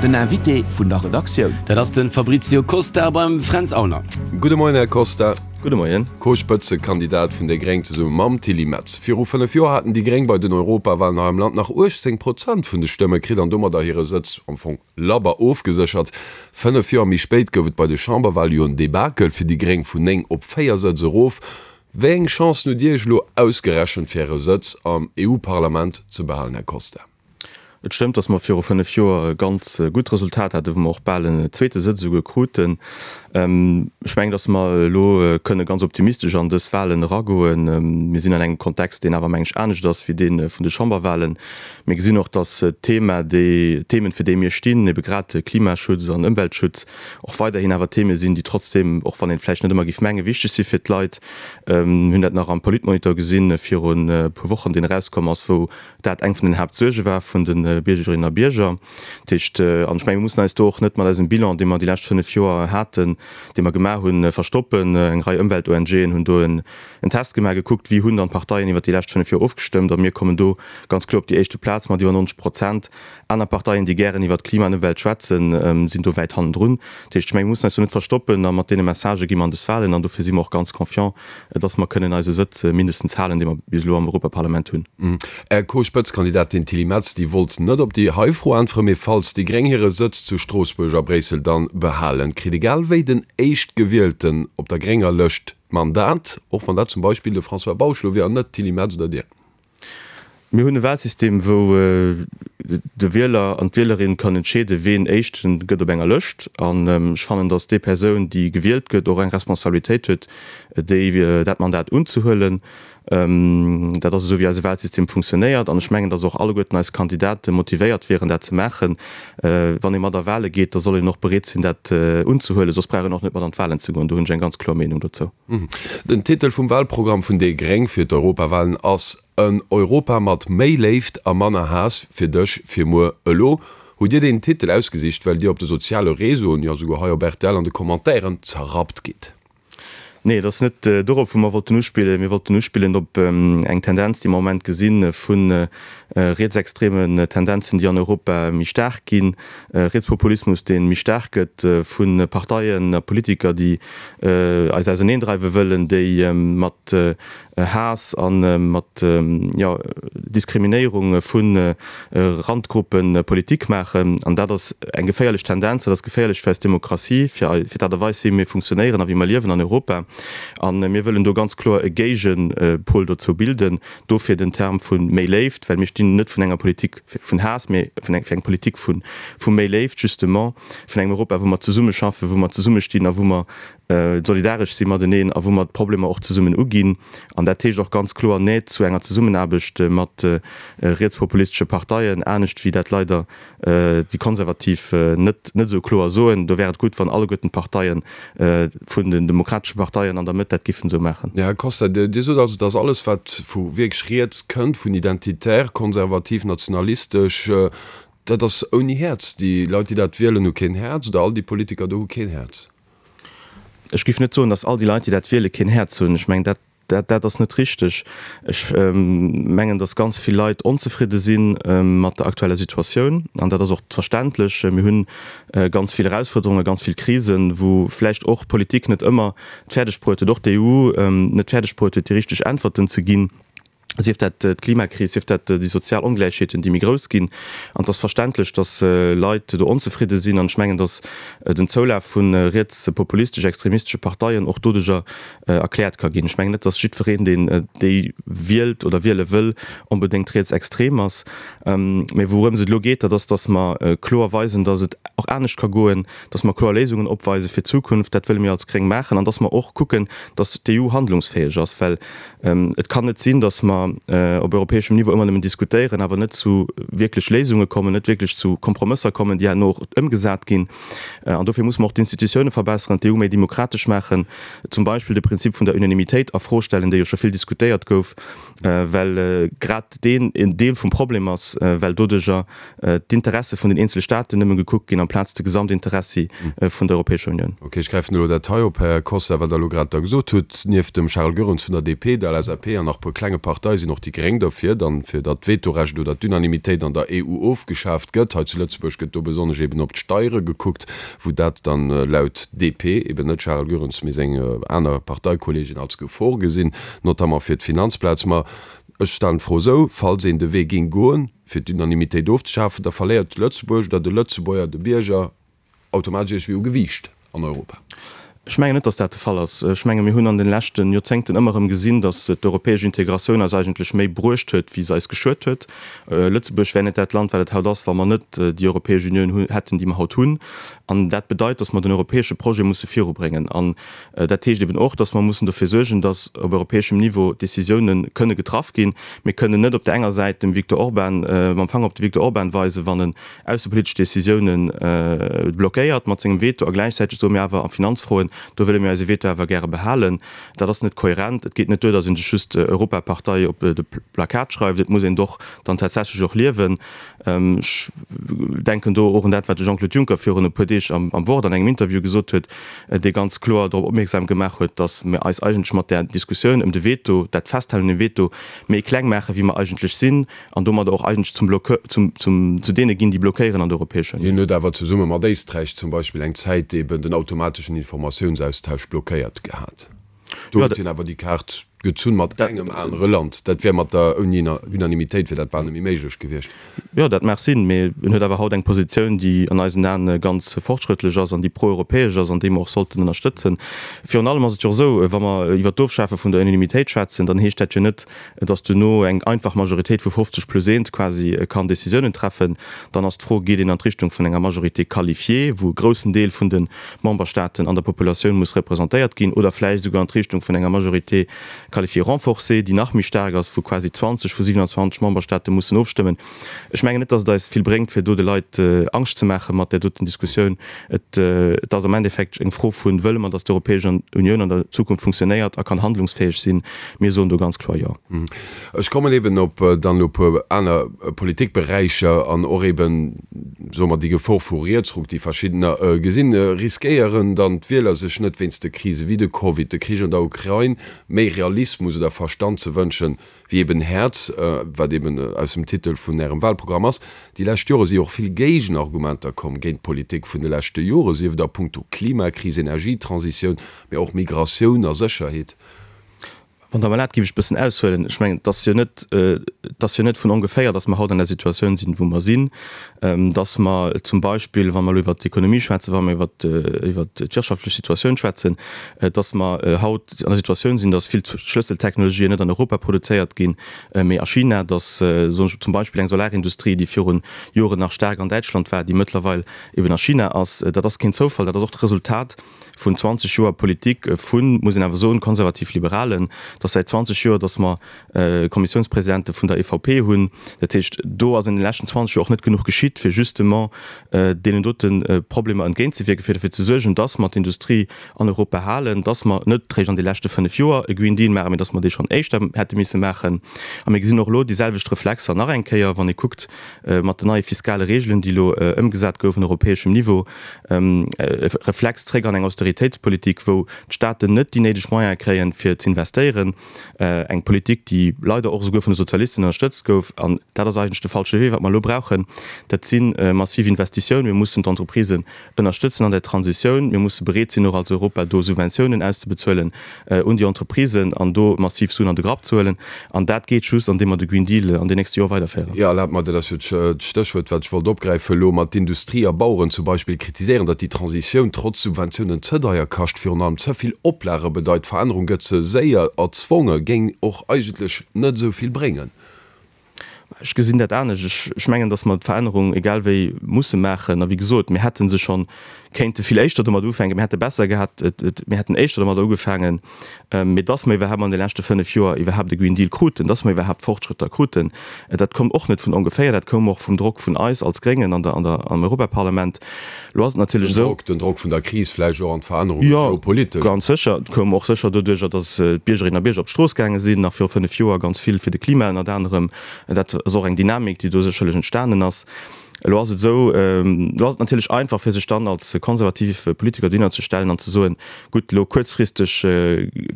Den Invité vun der Redaktioun. Dat ass de Fabrizio Costa beim Fränz Aulner. Gudde Moien, Här Costa. Gudde Moien. Co-Spëtzekandidat vun déi Gréng zesumme mam Tilly Metz. Viru 5 Joer haten déi Gréng bei den Europawalen hei am Land nach 18 Prozent vun de Stëmme kritt an domadder hire Sëtz am Fong labber ofgeséchert. 5 Joer méi spéit gouf et bei de Chamberwale jo en Debakel fir déi Gréng, vun 9 op 4 Sëtz erof. Wéi eng Chancen hutt Dir Iech elo ausgerechent fir Äre Sëtz am EU-Parlament ze behalen, Här Costa? Et stëmmt, datt mer viru 5 Joer e ganz gutt Resultat haten, wou mer och bal en zweete Sëtz esouguer kruten. Ech mengen, datt mer elo kënne ganz optimistesch an dës Wahlen eragoen. Mir sinn an engem Kontext, deen awer, meng ech, anescht ass wéi dee vun de Chamberwahlen. Mir gesinn och, datt d'Thema, déi Themen, fir déi mir stinn, ebe grad Klimaschutz an Ëmweltschutz, och weiderhin awer Theme sinn, déi trotzdem, och wann een vläicht net ëmmer géif mengen, wichteg si fir d'Leit. Mir hunn dat nach am Politmonitor gesinn virun e puer Wochen, deen erauskomm ass, wou dat eng vun den Haaptsuerge war vun de Biergerinnen a Bierger. Dat heescht, an ech menge mir mussen eis do och net mat eisem Bilan, dee mer déi lescht 5 Joer haten, dee mer gemaach hunn, verstoppen. Eng Rei Ëmwelt-ONGen hunn do en Test gemaach, gekuckt, wéi hunn dann d'Parteien iwwert déi lescht 5 Joer ofgestëmmt. A mir kommen do ganz kloer op déi éischte Plaz mat iwwer 90 Prozent. Aner Parteien, déi gären iwwert Klima an Ëmwelt schwätzen, sinn do wäit hannendrun. Dat heescht, ech menge mir mussen eis do net verstoppen a mat deene Messagë gi mer an des Wahlen an dofir si mer och ganz confiant, dass mer kënnen eise Sëtz mindestens halen, dee mer bis elo am Europaparlament hunn. Är Co-Spëtzkandidatin Tilly Metz, déi wollt net op déi hei Fro äntweren, mee falls déi Gréng hire Sëtz zu Stroossbuerg a Bréissel dann behalen, kritt egal wéi den Éischtgewielten op der grénger Lëscht d'Mandat, och wann dat zum Beispill de François Bausch elo wier an net d'Tilly Metz oder Dir. Mir hunn e Wahlsystem, wou de Wieler an d'Wielerin kann entscheeden, ween Éischten gëtt op enger Lëscht. An ech fannen, datt déi Persoun, déi gewielt gëtt, och eng Responsabilitéit huet, déi dat Mandat unzehuelen. Dat ass esou, wéi eise Wahlsystem funktionéiert. An ech mengen, datt och alleguerten eis Kandidate motivéiert wieren, dat ze maachen. Wann ee mat a Wahle geet, da soll een och bereet sinn, dat unzehuelen. Soss brauch een och net mat an d'Wahlen ze goen. Do hunn ech eng ganz kloer Meenung dozou. Den Titel vum Wahlprogramm vun déi Gréng fir d'Europawahlen ass En Europa mat méi Léift a manner Haass, fir dech, fir muer, elo. Hutt Dir deen Titel ausgesicht, well Dir op de soziale Réseauen, jo souguer hei op rtl an de Commentairen zerrappt gitt? Nee, et ass net dorop, wou mer wollten uspillen. Mir wollten uspillen op eng Tendenz, déi mer am Moment gesinn, vu rietsextremen Tendenzen, déi an Europa méi staark ginn, Rietspopulismus, dee méi staark gëtt, vu Parteien a Politiker, déi eis auserneendreiwe wëllen, déi mat Haass a mat, jo, Diskriminéierung vu Randgruppe Politik maachen. An dat ass eng geféierlech Tendenz, dat ass geféierlech fir eis Demokratie, fir d'Aart a Weis, wéi mir funktionéieren a wéi mer liewen an Europa. A mir wëllen do ganz kloer e Géigepol dozou bilden. Dofir den Term vu méi Léift, well mir stinn net vun enger Politik vun Haass, mee fir eng Politik vu méi Léift justement, vun engem Europa, wou mer zesummeschaffen, wou mer zesummestinn a wou mer solidaresch si mateneen a wou mer d'Problemer och zesummen uginn. An dat heescht och ganz kloer Nee zu enger Zesummenaarbecht mat rietspopulistesche Parteien, anescht wéi dat leider déi Konservativ net net esou kloer soen. Do wär et gutt, wann alleguerten d'Parteien vun den demokratesche Parteien an der Mëtt dat giffen esou maachen. Här Costa, Dir sot also, datt alles wat vu wierklech riets kënnt, vun identitär, konservativ, nationalistesch, dat ass ouni Häerz. Déi Leit, déi dat wielen, hu keen Häerz, oder all déi Politiker do hu keen Häerz? Ech géif net soen, datt all déi Leit, déi dat wielen, keen Häerz hunn. Ech mengen, dat Dat ass net richteg. Ech mengen, datt ganz vill Leit onzefridde si mat der aktueller Situatioun. An dat ass och verständlech. Mir hu ganz vill Erausfuerderungen, ganz vill Krisen, wou vläicht och d'Politik net ëmmer et fäerdeg bruet huet, och d'EU net fäerdeg bruet huet, déi richteg Äntwerten ze ginn, sief dat d'Klimakris, sief dat déi sozial Ongläichheeten, déi méi grouss ginn. An et ass verständlech, datt Leit do onzefridde sinn. An ech mengen, datt den Zoulaf vu rietspopulistesch, extremistesche Parteien och doduerjer erkläert ka ginn. Ech mengen net, datt jiddwereen, deen déi wielt oder wiele wëll, onbedéngt rietsextrem ass. Mä wourëms et elo geet, dat ass, datt mer kloer weisen, datt et och anescht ka goen, datt mer kloer Léisungen opweise fir d'Zukunft. Dat wëlle mir als Gréng maachen. An datt mer och kucken, datt d'EU handlungsfäeg ass. Well et kann net sinn, datt mer op europäeschem Niveau ëmmer nëmmen diskutéieren, awer net zu wierklech Léisunge kommen, net wierklech zu Kompromësser kommen, déi herno och ëmgesat ginn. An dofir muss mer och d'Institutioune verbesseren, d'EU méi demokratesch maachen. Zum Beispill de Prinzip vun der Unanimitéit a Fro stellen, dee jo scho vill diskutéiert gouf, well grad deen en Deel vum Problem ass, well doduerjer d'Interesse vun den eenzele Staaten nëmme gekuckt ginn amplaz de Gesamtinteressi vun der Europäescher Unioun. Ok, ech gräifen elo dat hei op, Här Costa, wat Der elo grad da gesot hutt. Nieft dem Charles Goerens vun der DP, der LSAP an nach e puer klenge Parteien. Partei sinn och déi Gréng derfir dann, fir datt d'Vetorecht oder d'Unanimitéit an der EU ofgeschaaft gëtt. Hei zu Lëtzebuerg gëtt do besonnesch eben op d'Steiere gekuckt, wou dat dann laut DP, eben net Charel Goerens, mee seng aner Parteikolleegen als Gefor gesinn, notamment fir d'Finanzplaz. Ma ech stellen d'Fro esou, Falls een de Wee géing goen, fir d'Unanimitéit ofzeschafen, da verléiert Lëtzebuerg oder de Lëtzebuerger, de Bierger, automatesch iergendwéi u Gewiicht an Europa. Ech mengen net, datt dat de Fall ass. Ech menge mir hunn an de leschte Joerzéngten ëmmer erëm gesinn, datt d'europäesch Integratioun eis eigentlech méi bruecht huet, wéi se eis geschuet huet. Lëtzebuerg wär net dat Land, wat et haut ass, wa mer net déi Europäesch Unioun hätten, déi mer haut hunn. An dat bedeit, datt mer den europäesche Projet musse virubréngen. An dat heescht eben och, datt mer mussen dofir suergen, datt op europäeschem Niveau Décisiounen kënne getraff ginn. Mir kënnen net op där enger Säit dem Viktor Orban, mam Fanger op de Viktor Orban weisen, wann en aussepolitesch Décisiounen blockéiert mat sengem Veto a gläichzäiteg soe mir awer a Finanzfroen, do wëlle mir eise Veto awer gäre behalen. Dat ass net kohärent. Et geet net duer, datt ee sech just Europapartei op de Plakat schreift, et muss een et och dann tatsächlech och liewen. Ech denken do och un dat, wat de Jean-Claude Juncker virun e puer Deeg am Wort an engem Interview gesot huet, dee ganz kloer drop opmierksam gemaach huet, datt mir eis eigentlech mat där Diskussioun ëm de Veto, dat Festhalen un dem Veto, méi kleng maache wéi mer eigentlech sinn. An domadder och eigentlech zum Bloqueur, zum, zum, zu deene ginn, déi blockéieren an der Europäescher Unioun. Hien huet awer zesumme mat Éisträich zum Beispill eng Zäit eben den automateschen Informatiounsaustausch blockéiert gehat. Do huet hien awer déi Kaart gezunn mat engem anere Land. Dat wär mat der, ouni Unanimitéit wier dat bal net méi méiglech gewiescht. Jo, dat mag sinn, mee en huet awer haut eng Positioun, déi an eisen Aen ganz fortschrëttlech ass an déi pro-europäesch ass an déi mer och sollten ënnerstëtzen. Virun allem ass et jo och esou, wa mer iwwert d'Ofschafe vun der Unanimitéit schwätzen, dann heescht dat jo net, dass duerno eng einfach Majoritéit vu 50 plus eent quasi kann Décisiounen treffen, dann ass d'Fro, Geet een an d'Richtung vun enger Majorité qualifiée, wou e groussen Deel vun de Memberstaaten an der Populatioun muss representéiert ginn, oder vläicht esouguer an d'Richtung vun enger Majorité qualifiée renforcée, déi nach méi staark ass, wou quasi 20 vu 27 Memberstaate mussen ofstëmmen? Ech mengen net, dass et eis vill bréngt, fir do de Leit Angscht ze maache mat där doten Diskussioun. Et ass am Endeffekt eng Fro vun, Wëlle mer, dass d'Europäesch Unioun an der Zukunft funktionéiert a kann handlungsfäeg sinn? Mir soen do ganz kloer Jo. Ech kommen eben op dann elo e puer aner Politikberäicher an och eben, soe mer, déi Gefor vu Rietsruck, déi verschiddener gesinn. Riskéieren dann d'Wieler sech net wéinst de Krise wéi de Covid, de Krich an der Ukrain, méi Realismus oder Verstand ze wënschen, wéi eben Häerz, wat eben aus dem Titel vun Ärem Wahlprogramm ass. Déi lescht Jore si och vill Géigenargumenter komm géint d'Politik vun de leschte Jore, sief et a puncto Klimakris, Energietransitioun, mee och Migratioun a Sécherheet. Wann Der mer erlaabt, géif ech e bëssen aushuelen. Ech mengen, et ass jo net, et ass jo net vun ongeféier, dass mer haut an der Situatioun sinn, wou mer sinn, dass mer zum Beispill, wa mer elo iwwert d'Ekonomie schwätzen, wa mer iwwert, iwwert d'wirtschaftlech Situatioun schwätzen, dass mer haut an der Situatioun sinn, dass vill Schlësseltechnologien net an Europa produzéiert ginn, mee a China, dass, soen ech zum Beispill, eng Solarindustrie, déi virun Joren nach staark an Däitschland war, déi mëttlerweil eben a China ass. Dat ass keen Zoufall, dat ass och d'Resultat vun 20 Joer Politik vun, muss een awer soen, konservativ-Liberalen, dass säit 20 Joer, dass mer Kommissiounspresidente vun der EVP hunn. Dat heescht, do ass an de leschten 20 Joer och net genuch geschitt, fir justement deenen dote Problemer entgéintzewierken, fir dofir ze suergen, dass mer d'Industrie an Europa halen, dass mer net réischt an de leschte fënnf Joer e Green Deal maachen, mee dass mer dee schonn éischter hätte misse maachen. A mir gesinn och elo déi selwecht Reflexer nach eng Kéier, wann ee kuckt mat den neie fiskale Regeln, déi elo ëmgesat goufen europäeschem Niveau, e Reflex zréck an eng Austeritéitspolitik, wou d'Staaten net déi néideg Moyene kréien, fir z'investéieren. Eng Politik, déi leider och esouguer vun de Sozialisten ënnerstëtzt gouf. An dat ass eigentlech de falsche Wee. Wat mer elo brauchen, dat si massiv Investitiounen. Mir mussen d'Entreprisen ënnerstëtzen an der Transitioun. Mir musse bereet sinn, och als Europa do Subventiounen auszebezuelen un déi Entreprisen an do massiv Suen an de Grapp ze huelen. An dat geet just, andeem mer de Green Deal an den nächste Joer weiderféieren. Jo, erlaabt mer, dat ass jo d'Stéchwuert, wat ech wollt opgräifen elo, mat d'Industrie a Baueren zum Beispill kritiséieren, datt déi Transitioun trotz Subventiounen ze deier kascht, virun allem ze vill Oplage bedeit, d'Verännerung gëtt ze séier erzwonge, géing och eigentlech net esou vill bréngen. Ech gesinn dat anescht. Ech mengen, datt mer d'Verännerung egal wéi musse maachen. A wéi gesot, mir hätte se scho kéinte vill éischter domat ufänken. Mir hätte besser gehat, mir hätten éischter domadder ugefaangen. Mee datt mer iwwerhaapt an de leschte fënnf Joer iwwerhaapt e Green Deal kruten, datt mer iwwerhaapt Fortschrëtter kruten, dat koum och net vun ongeféier. Dat koum och vum Drock vun eis als Gréngen an der, an der, am Europaparlament. Elo ass et natierlech esou. Den Drock vun der Kris vläicht och an d'Verännerungen geopolitesch. Jo, ganz sécher. Et koum och sécher doduerjer, datt d'Biergerinnen a Bierger op d'Strooss gaange sinn, nach viru fënnf Joer ganz vill fir de Klima ënnert anerem. Dat ass och eng Dynamik, déi do sécherlech entstanen ass. Elo ass et esou, elo ass et natierlech einfach, fir sech dann als konservativ Politiker dohinner ze stellen an ze soen, gutt, elo kuerzfristeg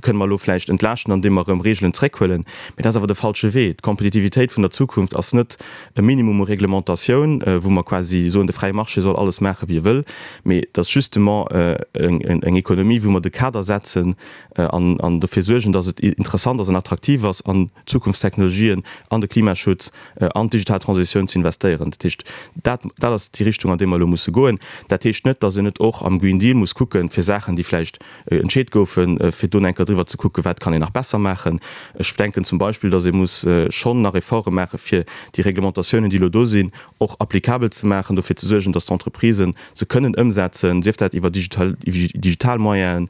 kënne mer elo vläicht entlaaschten, andeem mer erëm Reegelen zréckhuelen. Mee dat ass awer de falsche Wee. D'Kompetitivitéit vun der Zukunft ass net e Minimum u Reglementatioun, wou mer quasi soen, de fräie Marché soll alles maachen, wéi e wëll, mee et ass justement eng Ekonomie, wou mer de Kader setzen an dofir suergen, dass et interessant ass an attraktiv ass, an d'Zukunftstechnologien, an de Klimaschutz, an d'digital Transitioun ze investéieren. Dat heescht, dat, dat ass déi Richtung, an déi mer elo musse goen. Dat heescht net, dass een net och am Green Deal muss kucken, fir Saachen, déi vläicht entscheet goufen, fir do enker driwwer ze kucken, wat kann een nach besser maachen. Ech denken zum Beispill, dass ee muss schonn nach Efforte maachen, fir déi Reglementatiounen, déi elo do sinn, och applicabel ze maachen, dofir ze suergen, dass d'Entreprisen se kënnen ëmsetzen, sief dat iwwer digital, digital Moyenen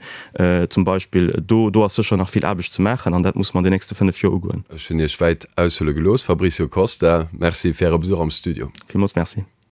zum Beispill. Do, do ass sécher nach vill Aarbecht ze maachen an dat muss mer an den nächste 5 Joer ugoen. Ech hunn Iech wäit aushuele gelooss. Fabricio Costa, Merci fir Äre Besuch am Studio. Villmools Merci.